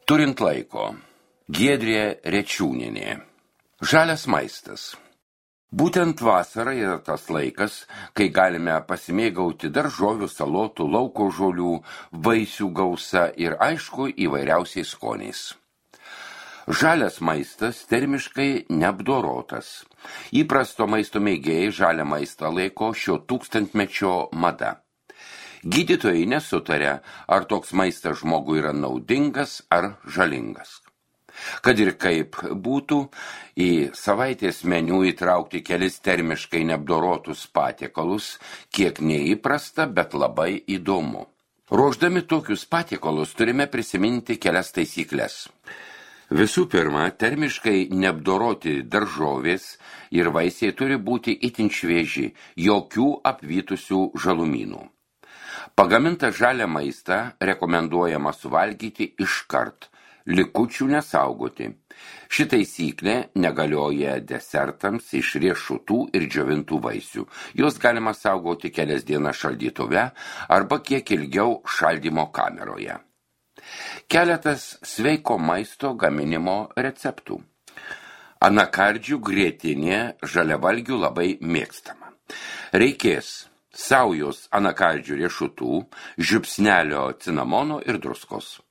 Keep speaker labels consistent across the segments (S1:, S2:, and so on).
S1: Turint laiko. Giedrė Rečiūnienė. Žalias maistas. Būtent vasara yra tas laikas, kai galime pasimėgauti daržovių, salotų, lauko žolių, vaisių gausa ir aišku įvairiausiais skoniais. Žalias maistas termiškai neapdorotas. Įprasto maisto mėgėjai žalią maistą laiko šio tūkstantmečio mada. Gydytojai nesutaria, ar toks maistas žmogui yra naudingas ar žalingas. Kad ir kaip būtų, į savaitės meniu įtraukti kelis termiškai neapdorotus patiekalus, kiek neįprasta, bet labai įdomu. Ruošdami tokius patiekalus turime prisiminti kelias taisyklės. Visų pirma, termiškai neapdoroti daržovės ir vaisiai turi būti itin švieži, jokių apvytusių žalumynų. Pagamintą žalią maistą rekomenduojama suvalgyti iškart, likučių nesaugoti. Ši taisyklė negalioja desertams iš riešutų ir džiovintų vaisių. Jos galima saugoti kelias dienas šaldytuve arba kiek ilgiau šaldymo kameroje. Keletas sveiko maisto gaminimo receptų. Anakardžių grietinė žaliavalgių labai mėgstama. Reikės saujos anakardžių riešutų, žiupsnelio cinamono ir druskos.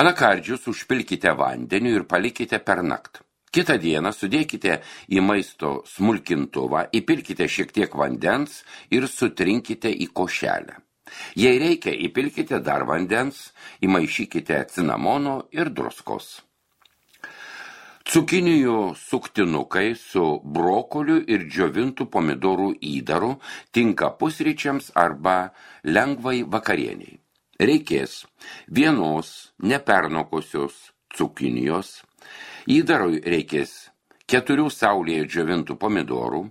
S1: Anakardžius užpilkite vandeniu ir palikite per naktį. Kitą dieną sudėkite į maisto smulkintuvą, įpilkite šiek tiek vandens ir sutrinkite į košelę. Jei reikia, įpilkite dar vandens, įmaišykite cinamono ir druskos. Cukinijų suktinukai su brokoliu ir džiovintų pomidorų įdaru tinka pusryčiams arba lengvai vakarieniai. Reikės vienos nepernokusios cukinijos, įdarui reikės 4 saulėje džiovintų pomidorų,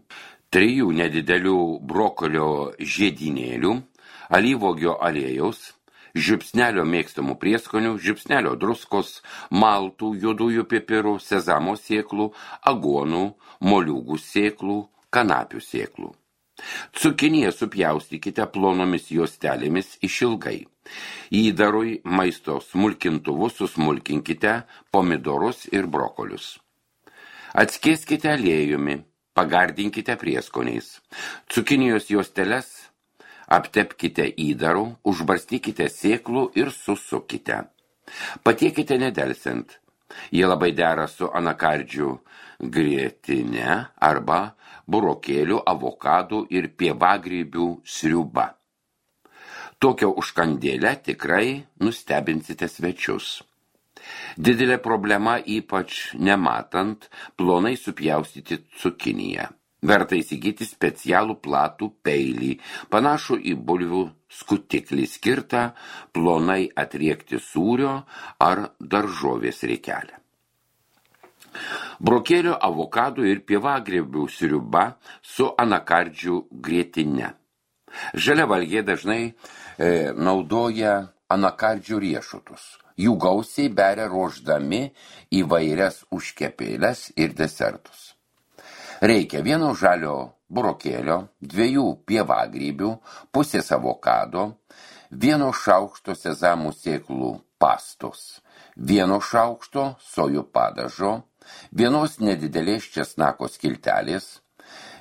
S1: 3 nedidelių brokolio žiedynėlių, alyvuogio aliejaus, žiupsnelio mėgstamų prieskonių, žiupsnelio druskos, maltų, juodųjų pipirų, sezamo sėklų, aguonų, moliūgų sėklų, kanapių sėklų. Cukiniją supjaustykite plonomis juostelėmis išilgai. Įdarui maisto smulkintuvu susmulkinkite pomidorus ir brokolius. Atskieskite aliejumi, pagardinkite prieskoniais. Cukinijos juosteles aptepkite įdaru, užbarstykite sėklų ir susukite. Patiekite nedelsiant. Jie labai dera su anakardžių grietine arba burokėlių, avokadų ir pievagrybių sriuba. Tokią užkandėlę tikrai nustebinsite svečius. Didelė problema, ypač nematant, plonai supjaustyti cukiniją. Verta įsigyti specialų platų peilį, panašų į bulvių skutiklį, skirtą plonai atriekti sūrio ar daržovės riekelę. Brokėlio, avokadų ir pievagrybių sriuba su anakardžių grietine. Žaliavalgiai dažnai naudoja anakardžių riešutus. Jų gausiai beria ruošdami įvairias užkepėles ir desertus. Reikia 1 žalio burokėlio, 2 pievagrybių, pusės avokado, 1 šaukšto sezamų sėklų pastos, 1 šaukšto sojų padažo, 1 nedidelės česnako skiltelės,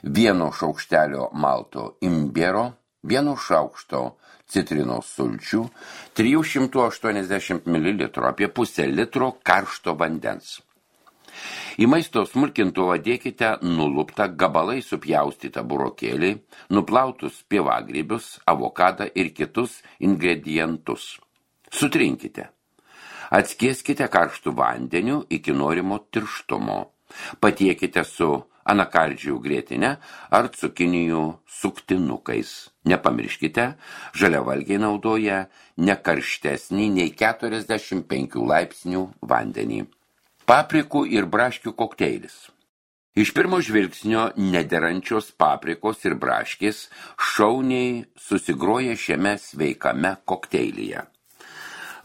S1: 1 šaukštelio malto imbiero, 1 šaukšto citrinos sulčių, 380 ml, apie pusę litro karšto vandens. Į maisto smulkintuvą dėkite nuluptą gabalai supjaustytą burokėlį, nuplautus pievagrybius, avokadą ir kitus ingredientus. Sutrinkite. Atskieskite karštų vandeniu iki norimo tirštumo. Patiekite su anakardžių grietine ar cukinijų suktinukais. Nepamirškite, žaliavalgiai naudoja ne karštesnį nei 45 laipsnių vandenį. Paprikų ir braškių kokteilis. Iš pirmo žvilgsnio nederančios paprikos ir braškės šauniai susigroja šiame sveikame kokteilyje.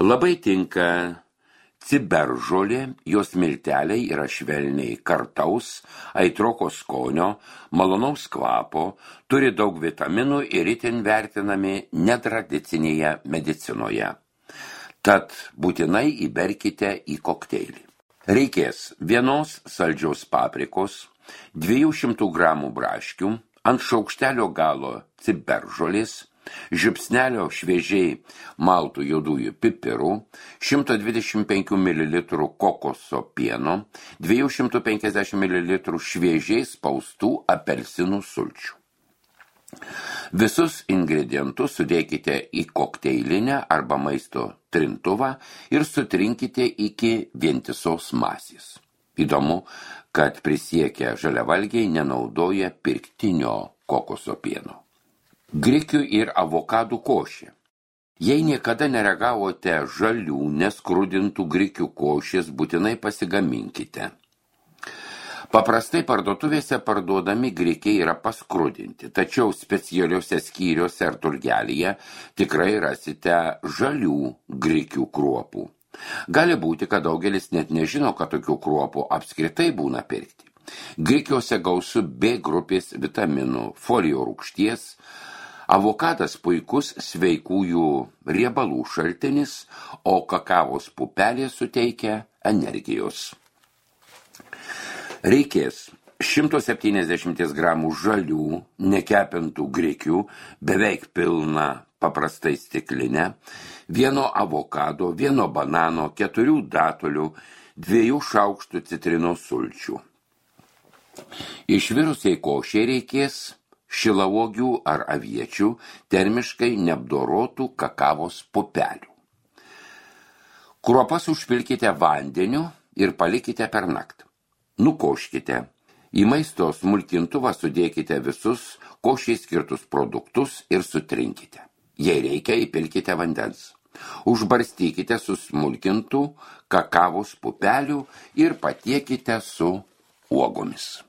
S1: Labai tinka ciberžolė, jos milteliai yra švelniai kartaus, aitroko skonio, malonaus kvapo, turi daug vitaminų ir itin vertinami netradicinėje medicinoje. Tad būtinai įberkite į kokteilį. Reikės 1 saldžios paprikos, 200 gramų braškių, ant šaukštelio galo ciberžolės, žiupsnelio šviežiai maltų juodųjų pipirų, 125 ml kokoso pieno, 250 ml šviežiai spaustų apelsinų sulčių. Visus ingredientus sudėkite į kokteilinę arba maisto trintuvą ir sutrinkite iki vientisos masės. Įdomu, kad prisiekę žaliavalgiai nenaudoja pirktinio kokoso pieno. Grikių ir avokadų košė. Jei niekada neragavote žalių, neskrudintų grikių košės, būtinai pasigaminkite. Paprastai parduotuvėse parduodami grikiai yra paskrudinti, tačiau specialiuose skyriuose ar turgelyje tikrai rasite žalių grikių kruopų. Gali būti, kad daugelis net nežino, kad tokių kruopų apskritai būna pirkti. Grikiuose gausu B grupės vitaminų, folio rūgšties. Avokadas puikus sveikųjų riebalų šaltinis, o kakavos pupelė suteikia energijos. Reikės 170 gramų žalių, nekepintų grikių, beveik pilną paprastai stiklinę, 1 avokado, 1 banano, 4 datulių, 2 šaukštų citrinos sulčių. Išvirusiai košei reikės šilauogių ar aviečių, termiškai neapdorotų kakavos pupelių. Kruopas užpilkite vandeniu ir palikite per naktį. Nukoškite. Į maisto smulkintuvą sudėkite visus košiai skirtus produktus ir sutrinkite. Jei reikia, įpilkite vandens. Užbarstykite su smulkintų kakavos pupelių ir patiekite su uogomis.